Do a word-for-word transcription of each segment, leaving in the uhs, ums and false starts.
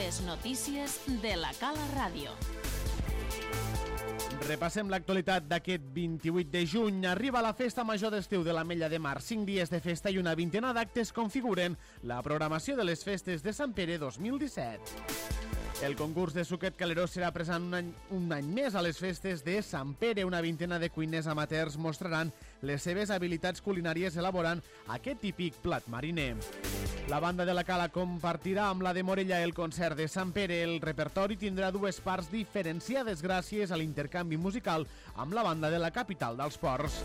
Les notícies de la Cala Ràdio. Repassem l'actualitat d'aquest vint-i-vuit de juny. Arriba la festa major d'estiu de l'Ametlla de Mar. Cinc dies de festa i una vintena d'actes configuren la programació de les festes de Sant Pere dos mil disset. El concurs de suquet caleró serà present un any, un any més a les festes de Sant Pere. Una vintena de cuiners amateurs mostraran les seves habilitats culinàries elaborant aquest típic plat mariner. La banda de la Cala compartirà amb la de Morella el concert de Sant Pere. El repertori tindrà dues parts diferenciades gràcies a l'intercanvi musical amb la banda de la capital dels ports.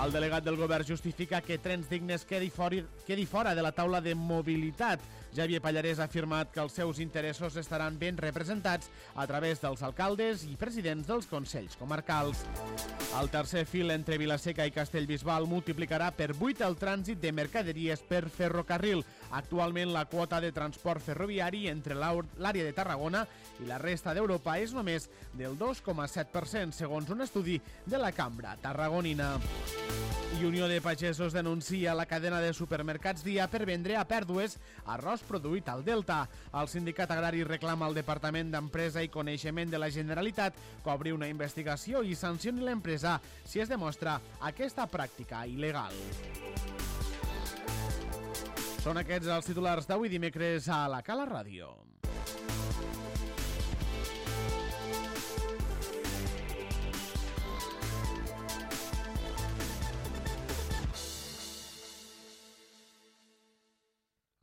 El delegat del govern justifica que Trens Dignes quedi fora, quedi fora de la taula de mobilitat. Javier Pallarès ha afirmat que els seus interessos estaran ben representats a través dels alcaldes i presidents dels consells comarcals. El tercer fil entre Vilaseca i Castellbisbal multiplicarà per vuit el trànsit de mercaderies per ferrocarril. Actualment la quota de transport ferroviari entre l'àrea de Tarragona i la resta d'Europa és només del dos coma set per cent, segons un estudi de la Cambra Tarragonina. I Unió de Pagesos denuncia la cadena de supermercats Dia per vendre a pèrdues arròs produït al Delta. El sindicat agrari reclama al Departament d'Empresa i Coneixement de la Generalitat que obri una investigació i sancioni l'empresa si es demostra aquesta pràctica il·legal. Són aquests els titulars d'avui dimecres a la Cala Ràdio.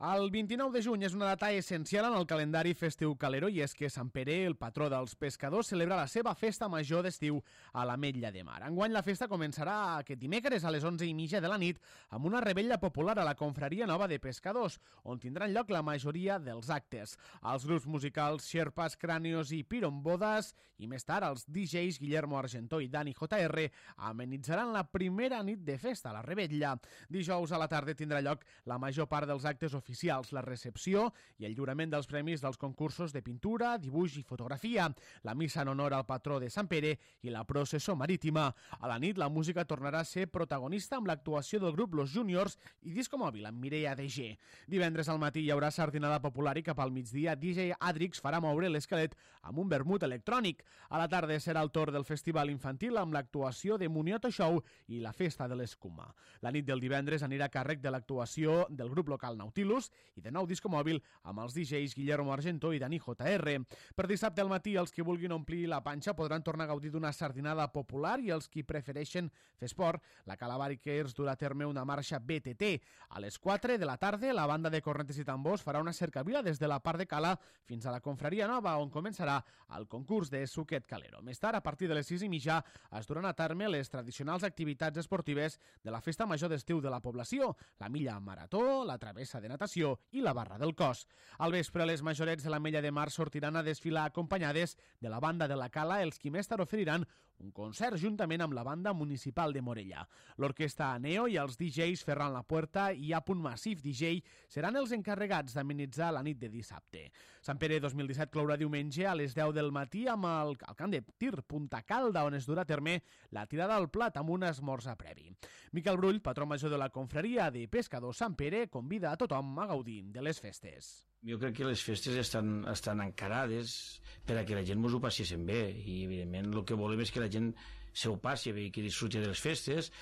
El vint-i-nou de juny és una data essencial en el calendari festiu calero i és que Sant Pere, el patró dels pescadors, celebra la seva festa major d'estiu a l'Ametlla de Mar. Enguany la festa començarà aquest dimecres a les onze i mitja de la nit amb una revetlla popular a la Confraria Nova de Pescadors, on tindran lloc la majoria dels actes. Els grups musicals Xerpas, Crànios i Pirombodas i més tard els D Js Guillermo Argentó i Dani J R amenitzaran la primera nit de festa a la revetlla. Dijous a la tarda tindrà lloc la major part dels actes oficials oficials, la recepció i el lliurament dels premis dels concursos de pintura, dibuix i fotografia, la missa en honor al patró de Sant Pere i la processó marítima. A la nit, la música tornarà a ser protagonista amb l'actuació del grup Los Juniors i disco mòbil amb Mireia D G. Divendres al matí hi haurà sardinada popular i cap al migdia D J Adrix farà moure l'esquelet amb un vermut electrònic. A la tarda serà el torn del festival infantil amb l'actuació de Munioto Show i la festa de l'escuma. La nit del divendres anirà a càrrec de l'actuació del grup local Nautilus i de nou disco mòbil amb els D Js Guillermo Argentó i Dani J R. Per dissabte al matí, els que vulguin omplir la panxa podran tornar a gaudir d'una sardinada popular i els qui prefereixen fer esport, la Cala Bikers durà a terme una marxa B T T. A les quatre de la tarda, la banda de cornetes i tambors farà una cercavila des de la part de Cala fins a la Confraria Nova, on començarà el concurs de suquet calero. Més tard, a partir de les sis i mitja, es duran a terme les tradicionals activitats esportives de la festa major d'estiu de la població, la milla marató, la travessa de natació i la barra del cos. Al vespre, les majorets de l'Ametlla de Mar sortiran a desfilar acompanyades de la banda de la Cala, els qui més tard oferiran un concert juntament amb la banda municipal de Morella. L'orquestra Neo i els D Js Ferran La Puerta i A. Massif D J seran els encarregats d'amenitzar la nit de dissabte. Sant Pere dos mil disset clourà diumenge a les deu del matí amb el, el camp de tir Punta Calda, on es durà a terme la tirada al plat amb un esmorzar previ. Miquel Brull, patró major de la Confraria de Pescadors Sant Pere, convida a tothom a gaudir de les festes. Jo crec que les festes estan, estan encarades per a que la gent mos ho passéssim bé i evidentment el que volem és que la gent se ho passi bé i que disfruti de les festes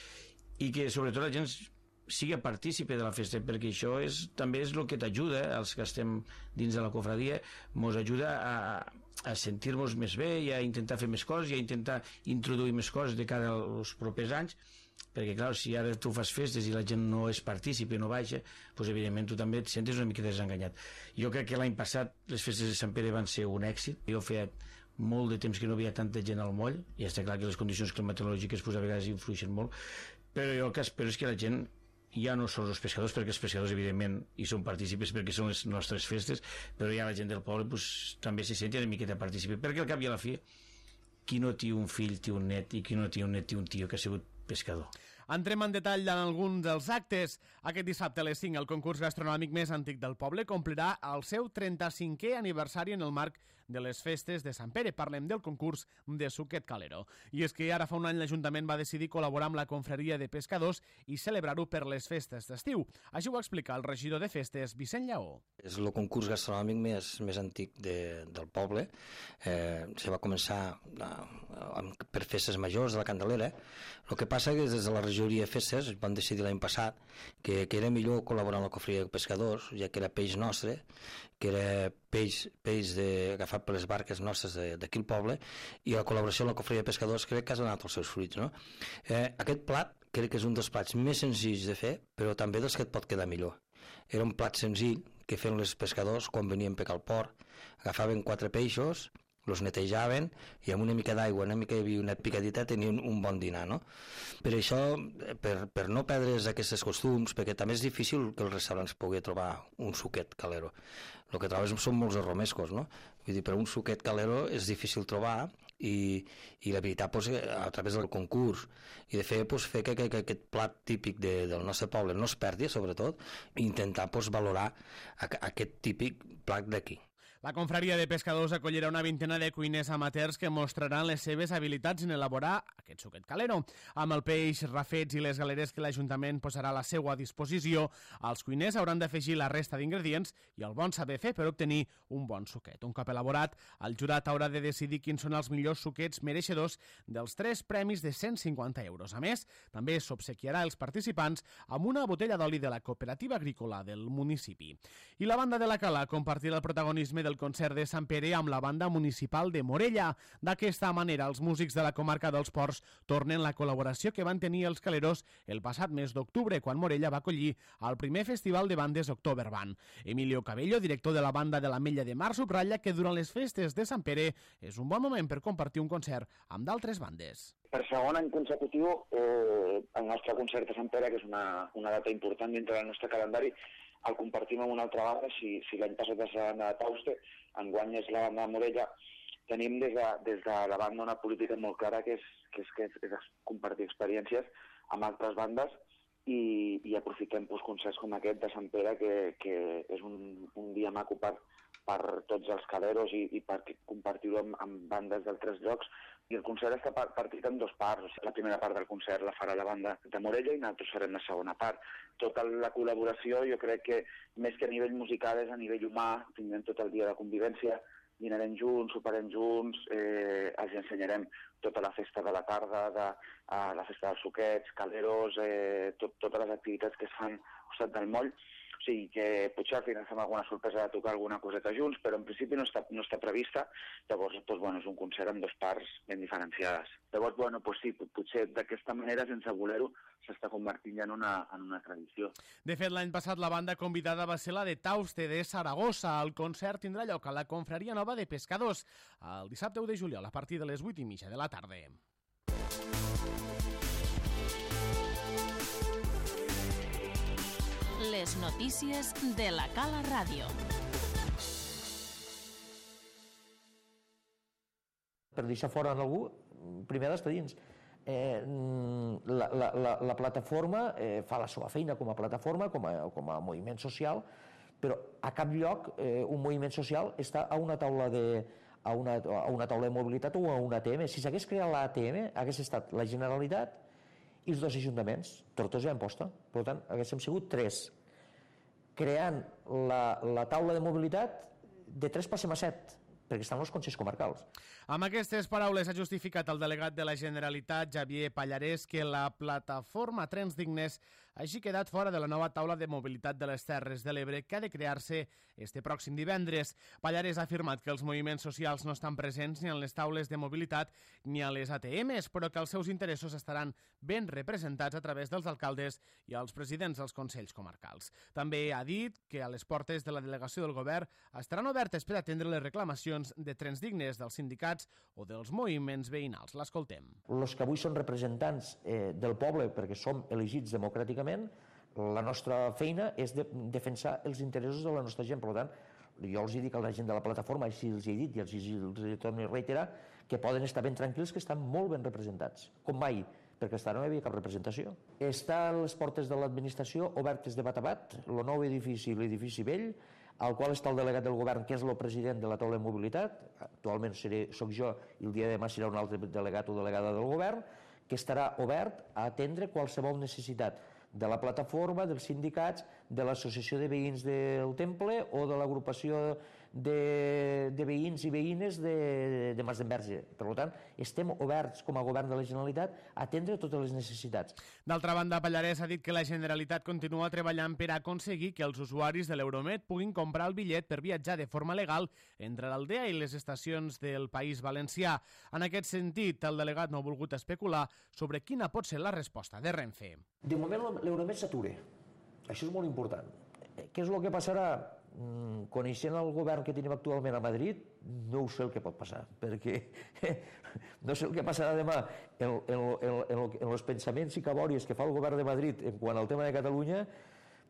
i que sobretot la gent sigui partícipe de la festa, perquè això és, també és el que t'ajuda, els que estem dins de la cofradia, mos ajuda a, a sentir-nos més bé i a intentar fer més coses i a intentar introduir més coses de cara als propers anys, perquè clar, si ara tu fas festes i la gent no és partícipe, no baixa, doncs evidentment tu també et sentes una mica desenganyat. Jo crec que l'any passat les festes de Sant Pere van ser un èxit. Jo feia molt de temps que no havia tanta gent al moll i està clar que les condicions climatològiques pues, a vegades influeixen molt, però jo el que espero és que la gent ja no són els pescadors, perquè els pescadors evidentment hi són partícipes perquè són les nostres festes, però ja la gent del poble pues, també se senti una miqueta partícipe, perquè al cap i a la fi qui no té un fill té un net i qui no té un net té un tio que ha sigut pescador. Entrem en detall en alguns dels actes. Aquest dissabte a les cinc el concurs gastronòmic més antic del poble complirà el seu trenta-cinquè aniversari en el marc de les festes de Sant Pere. Parlem del concurs de Suquet Calero. I és que ara fa un any l'Ajuntament va decidir col·laborar amb la confraria de pescadors i celebrar-ho per les festes d'estiu. Això ho explica el regidor de festes, Vicent Lleó. És el concurs gastronòmic més, més antic de, del poble. Eh, se va començar a, a, per festes majors de la Candelera. El que passa és que des de la regidoria de festes van decidir l'any passat que, que era millor col·laborar amb la confraria de pescadors, ja que era peix nostre, que era peix, peix de, agafat per les barques nostres d'aquí al poble, i la col·laboració amb la confraria de pescadors crec que ha donat els seus fruits. No? Eh, aquest plat crec que és un dels plats més senzills de fer, però també dels que et pot quedar millor. Era un plat senzill que feien els pescadors quan venien a pecar al port. Agafaven quatre peixos, els netejaven i amb una mica d'aigua, una mica de vi, una picadita, tenien un bon dinar, no? Per això, per, per no perdre's aquests costums, perquè també és difícil que els restaurants pugui trobar un suquet calero. El que trobes són molts arromescos, no? Vull dir, per un suquet calero és difícil trobar i, i la veritat, doncs, a través del concurs i de fer, doncs, fer que, que, que aquest plat típic de, del nostre poble no es perdi, sobretot, i intentar doncs, valorar a, a aquest típic plat d'aquí. La confraria de pescadors acollirà una vintena de cuiners amateurs que mostraran les seves habilitats en elaborar aquest suquet calero. Amb el peix, rafets i les galeres que l'Ajuntament posarà a la seva disposició, els cuiners hauran d'afegir la resta d'ingredients i el bon saber fer per obtenir un bon suquet. Un cop elaborat, el jurat haurà de decidir quins són els millors suquets mereixedors dels tres premis de cent cinquanta euros. A més, també s'obsequiarà als participants amb una botella d'oli de la cooperativa agrícola del municipi. I la banda de la Cala compartirà el protagonisme del concert de Sant Pere amb la banda municipal de Morella. D'aquesta manera, els músics de la comarca dels Ports tornen la col·laboració que van tenir els caleros el passat mes d'octubre, quan Morella va acollir el primer festival de bandes Oktoberban. Emilio Cabello, director de la banda de l'Ametlla de Mar, subratlla que durant les festes de Sant Pere és un bon moment per compartir un concert amb d'altres bandes. Per segon any consecutiu, eh, el nostre concert de Sant Pere, que és una, una data important dintre del nostre calendari, el compartim amb una altra banda. Si, si l'any passat és la banda de Tauste, enguany és la banda de Morella, tenim des de, des de la banda una política molt clara que és, que és, que és, és compartir experiències amb altres bandes i, i aprofitem pues, concerts com aquest de Sant Pere, que, que és un, un dia maco per, per tots els caleros i, i per compartir-ho amb, amb bandes d'altres llocs. I el concert està partit en dos parts. O sigui, la primera part del concert la farà la banda de Morella i nosaltres farem la segona part. Tota la col·laboració, jo crec que més que a nivell musical és a nivell humà. Tindrem tot el dia de convivència, dinarem junts, soparem junts, eh, els ensenyarem tota la festa de la tarda, de, eh, la festa dels suquets, caleros, eh, tot, totes les activitats que es fan al costat del moll. O sigui que potser al final fem alguna sorpresa de tocar alguna coseta junts, però en principi no està, no està prevista. Llavors, doncs, bueno, és un concert amb dues parts ben diferenciades. Llavors, bueno, doncs sí, potser d'aquesta manera, sense voler-ho, s'està convertint ja en una, en una tradició. De fet, l'any passat la banda convidada va ser la de Tauste, de Saragossa. El concert tindrà lloc a la Confraria Nova de Pescadors el dissabte u de juliol a partir de les vuit i mitja de la tarda. Les notícies de la Cala Ràdio. Per deixar fora en algú, primer d'estar dins. Eh, la, la, la, la plataforma eh, fa la seva feina com a plataforma, com a, com a moviment social, però a cap lloc eh, un moviment social està a una taula de, a una, a una taula de mobilitat o a una A T M. Si s'hagués creat l'A T M, hagués estat la Generalitat i els dos ajuntaments, Tortosa i Amposta. Per tant, haguéssim sigut tres. Creant la, la taula de mobilitat, de tres passem a set, perquè estan els consells comarcals. Amb aquestes paraules ha justificat el delegat de la Generalitat, Xavier Pallarès, que la plataforma Trens Dignes hagi quedat fora de la nova taula de mobilitat de les Terres de l'Ebre que ha de crear-se este pròxim divendres. Pallarès ha afirmat que els moviments socials no estan presents ni en les taules de mobilitat ni a les A T Ms, però que els seus interessos estaran ben representats a través dels alcaldes i els presidents dels consells comarcals. També ha dit que a les portes de la delegació del govern estaran obertes per atendre les reclamacions de Trens Dignes dels sindicats o dels moviments veïnals. L'escoltem. Els que avui són representants eh, del poble, perquè som elegits democràticament, la nostra feina és de defensar els interessos de la nostra gent. Per tant, jo els dic a la gent de la plataforma, així els he dit i els he tornat a reiterar, que poden estar ben tranquils, que estan molt ben representats, com mai, perquè fins ara no hi havia cap representació. Està a les portes de l'administració obertes de bat a bat, el nou edifici i l'edifici vell, al qual està el delegat del govern, que és el president de la taula de mobilitat, actualment seré, soc jo, i el dia de demà serà un altre delegat o delegada del govern, que estarà obert a atendre qualsevol necessitat de la plataforma, dels sindicats, de l'associació de veïns del Temple o de l'agrupació de, de veïns i veïnes de, de Mas d'Enverge. Per tant, estem oberts com a govern de la Generalitat a atendre totes les necessitats. D'altra banda, Pallarès ha dit que la Generalitat continua treballant per aconseguir que els usuaris de l'Euromed puguin comprar el bitllet per viatjar de forma legal entre l'Aldea i les estacions del País Valencià. En aquest sentit, el delegat no ha volgut especular sobre quina pot ser la resposta de Renfe. De moment l'Euromed s'atura. Això és molt important. Què és el que passarà? Coneixent el govern que tenim actualment a Madrid, no ho sé el que pot passar, perquè no sé el que passarà demà en, en, en, en, en els pensaments i cabòries que fa el govern de Madrid en quant al tema de Catalunya,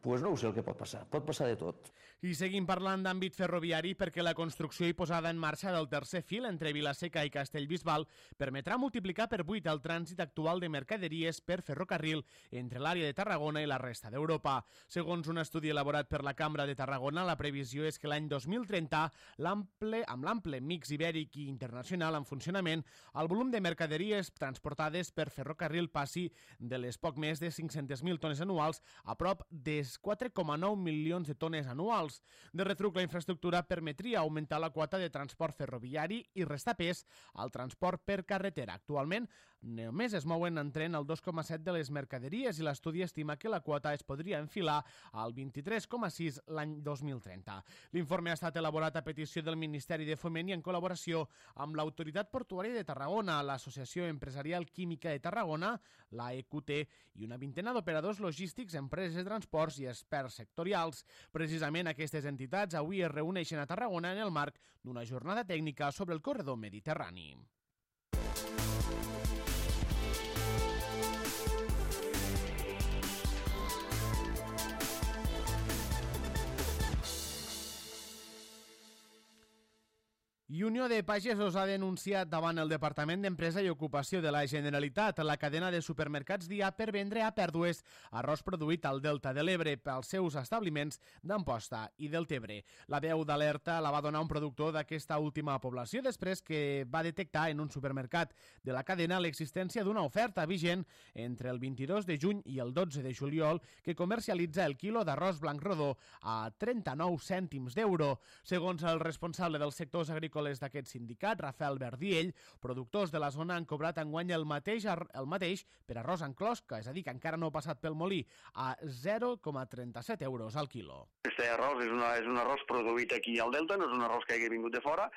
doncs no ho sé el que pot passar, pot passar de tot. I seguim parlant d'àmbit ferroviari perquè la construcció i posada en marxa del tercer fil entre Vilaseca i Castellbisbal permetrà multiplicar per vuit el trànsit actual de mercaderies per ferrocarril entre l'àrea de Tarragona i la resta d'Europa. Segons un estudi elaborat per la Cambra de Tarragona, la previsió és que l'any dos mil trenta, l'ample, amb l'ample mix ibèric i internacional en funcionament, el volum de mercaderies transportades per ferrocarril passi de les poc més de cinc-centes mil tones anuals a prop de quatre coma nou milions de tones anuals. De retruc, la infraestructura permetria augmentar la quota de transport ferroviari i restar pes al transport per carretera. Actualment, només es mouen en tren el dos coma set de les mercaderies i l'estudi estima que la quota es podria enfilar al vint-i-tres coma sis l'any dos mil trenta. L'informe ha estat elaborat a petició del Ministeri de Foment i en col·laboració amb l'Autoritat Portuària de Tarragona, l'Associació Empresarial Química de Tarragona, la E Q T i una vintena d'operadors logístics, empreses de transports i experts sectorials. Precisament aquestes entitats avui es reuneixen a Tarragona en el marc d'una jornada tècnica sobre el corredor mediterrani. I Unió de Pagesos ha denunciat davant el Departament d'Empresa i Ocupació de la Generalitat la cadena de supermercats Dia per vendre a pèrdues arròs produït al Delta de l'Ebre pels seus establiments d'Amposta i del Tebre. La veu d'alerta la va donar un productor d'aquesta última població després que va detectar en un supermercat de la cadena l'existència d'una oferta vigent entre el vint-i-dos de juny i el dotze de juliol que comercialitza el quilo d'arròs blanc rodó a trenta-nou cèntims d'euro. Segons el responsable dels sectors agrícoles d'aquest sindicat, Rafael Verdiell, productors de la zona han cobrat enguany el mateix, el mateix per arròs en closca, és a dir, que encara no ha passat pel molí, a zero coma trenta-set euros al quilo. Este arròs és, una, és un arròs produït aquí al Delta, no és un arròs que hagi vingut de fora,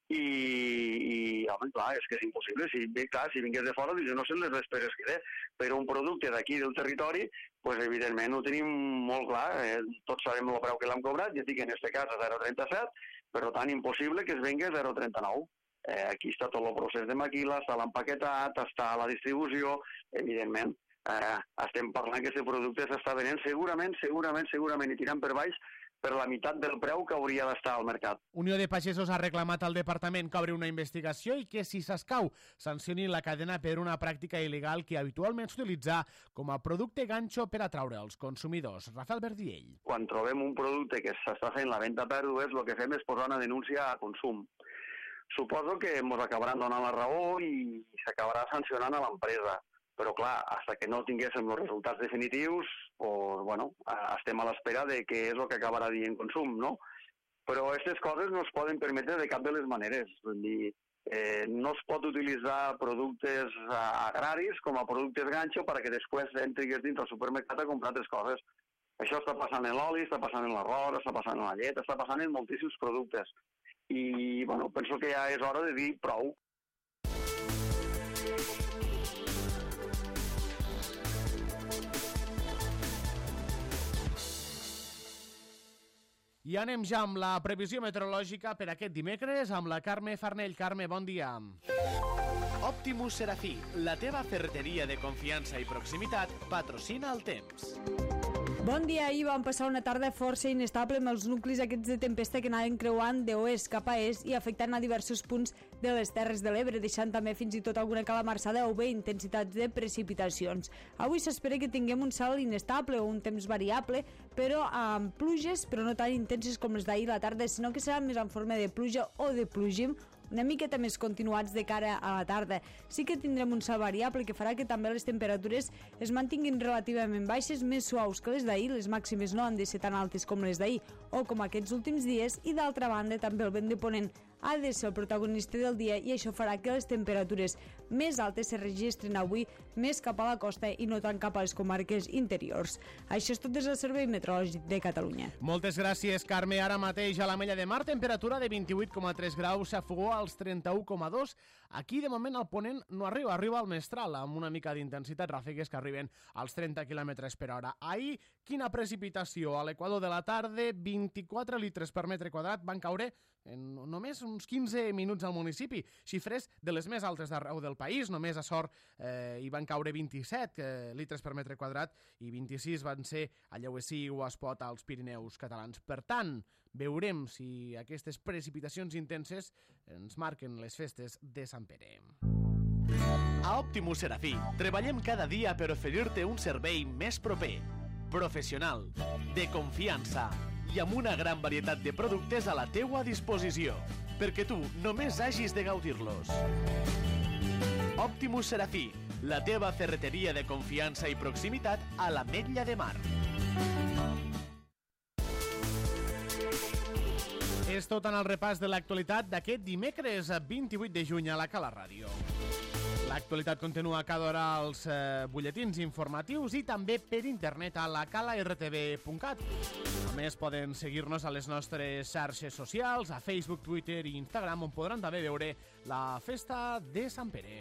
i, i home, clar, és que és impossible. Si, clar, si vingués de fora, no sé les despeses que té, però un producte d'aquí del territori, pues, evidentment ho tenim molt clar, eh? Tots sabem el preu que l'hem cobrat, ja dic en aquest cas a zero coma trenta-set, però tan impossible que es vengui a zero coma trenta-nou. Eh, aquí està tot el procés de maquila, està l'empaquetat, està la distribució, evidentment. Eh, estem parlant que aquest producte s'està venent segurament, segurament, segurament, i tirant per baix per la meitat del preu que hauria d'estar al mercat. Unió de Pagesos ha reclamat al departament que obri una investigació i que, si s'escau, sancioni la cadena per una pràctica il·legal que habitualment s'utilitza com a producte ganxo per atraure els consumidors. Rafael Verdiell. Quan trobem un producte que s'està fent la venda a pèrdues, el que fem és posar una denúncia a consum. Suposo que ens acabaran donant la raó i s'acabarà sancionant a l'empresa. Però, clar, fins que no tinguéssim els resultats definitius, pues, bueno, estem a l'espera de què és el que acabarà dient consum, no? Però aquestes coses no es poden permetre de cap de les maneres. Vull dir, eh, no es pot utilitzar productes agraris com a productes ganxo perquè després entrigues dins del supermercat a comprar altres coses. Això està passant en l'oli, està passant en l'arròs, està passant en la llet, està passant en moltíssims productes. I, bueno, penso que ja és hora de dir prou. I anem ja amb la previsió meteorològica per aquest dimecres amb la Carme Farnell. Carme, bon dia. Optimus Serafí, la teva ferreteria de confiança i proximitat, patrocina el temps. Bon dia, ahir vam passar una tarda força inestable amb els nuclis aquests de tempesta que anaven creuant d'oest cap a est i afectant a diversos punts de les Terres de l'Ebre, deixant també fins i tot alguna calamarsada o bé intensitats de precipitacions. Avui s'espera que tinguem un cel inestable o un temps variable, però amb pluges, però no tan intenses com les d'ahir a la tarda, sinó que serà més en forma de pluja o de plogim, una miqueta més continuats de cara a la tarda. Sí que tindrem un cel variable que farà que també les temperatures es mantinguin relativament baixes, més suaus que les d'ahir, les màximes no han de ser tan altes com les d'ahir o com aquests últims dies, i d'altra banda també el vent de ponent ha de ser el protagonista del dia i això farà que les temperatures més altes se registren avui més cap a la costa i no tant cap a les comarques interiors. Això és tot des del Servei Meteorològic de Catalunya. Moltes gràcies, Carme. Ara mateix a l'Ametlla de Mar, temperatura de vint-i-vuit coma tres graus, a Fogó als trenta-u coma dos. Aquí, de moment, el ponent no arriba, arriba al mestral, amb una mica d'intensitat, ràfegues que arriben als trenta quilòmetres per hora. Ahir, quina precipitació! A l'equador de la tarda, vint-i-quatre litres per metre quadrat van caure en només uns quinze minuts al municipi, xifres de les més altes d'arreu del país. Només a Sort eh, hi van caure vint-i-set eh, litres per metre quadrat i vint-i-sis van ser a Lleuesí o a Espot, als Pirineus catalans. Per tant, veurem si aquestes precipitacions intenses ens marquen les festes de Sant Pere. A Optimus Serafí treballem cada dia per oferir-te un servei més proper, professional, de confiança i amb una gran varietat de productes a la teua disposició, perquè tu només hagis de gaudir-los. Optimus Serafí, la teva ferreteria de confiança i proximitat a l'Ametlla de Mar. És tot en el repàs de l'actualitat d'aquest dimecres vint-i-vuit de juny a la Cala Ràdio. L'actualitat continua cada hora als eh, butlletins informatius i també per internet a la cala r t v punt cat. A més, poden seguir-nos a les nostres xarxes socials, a Facebook, Twitter i Instagram, on podran també veure la festa de Sant Pere.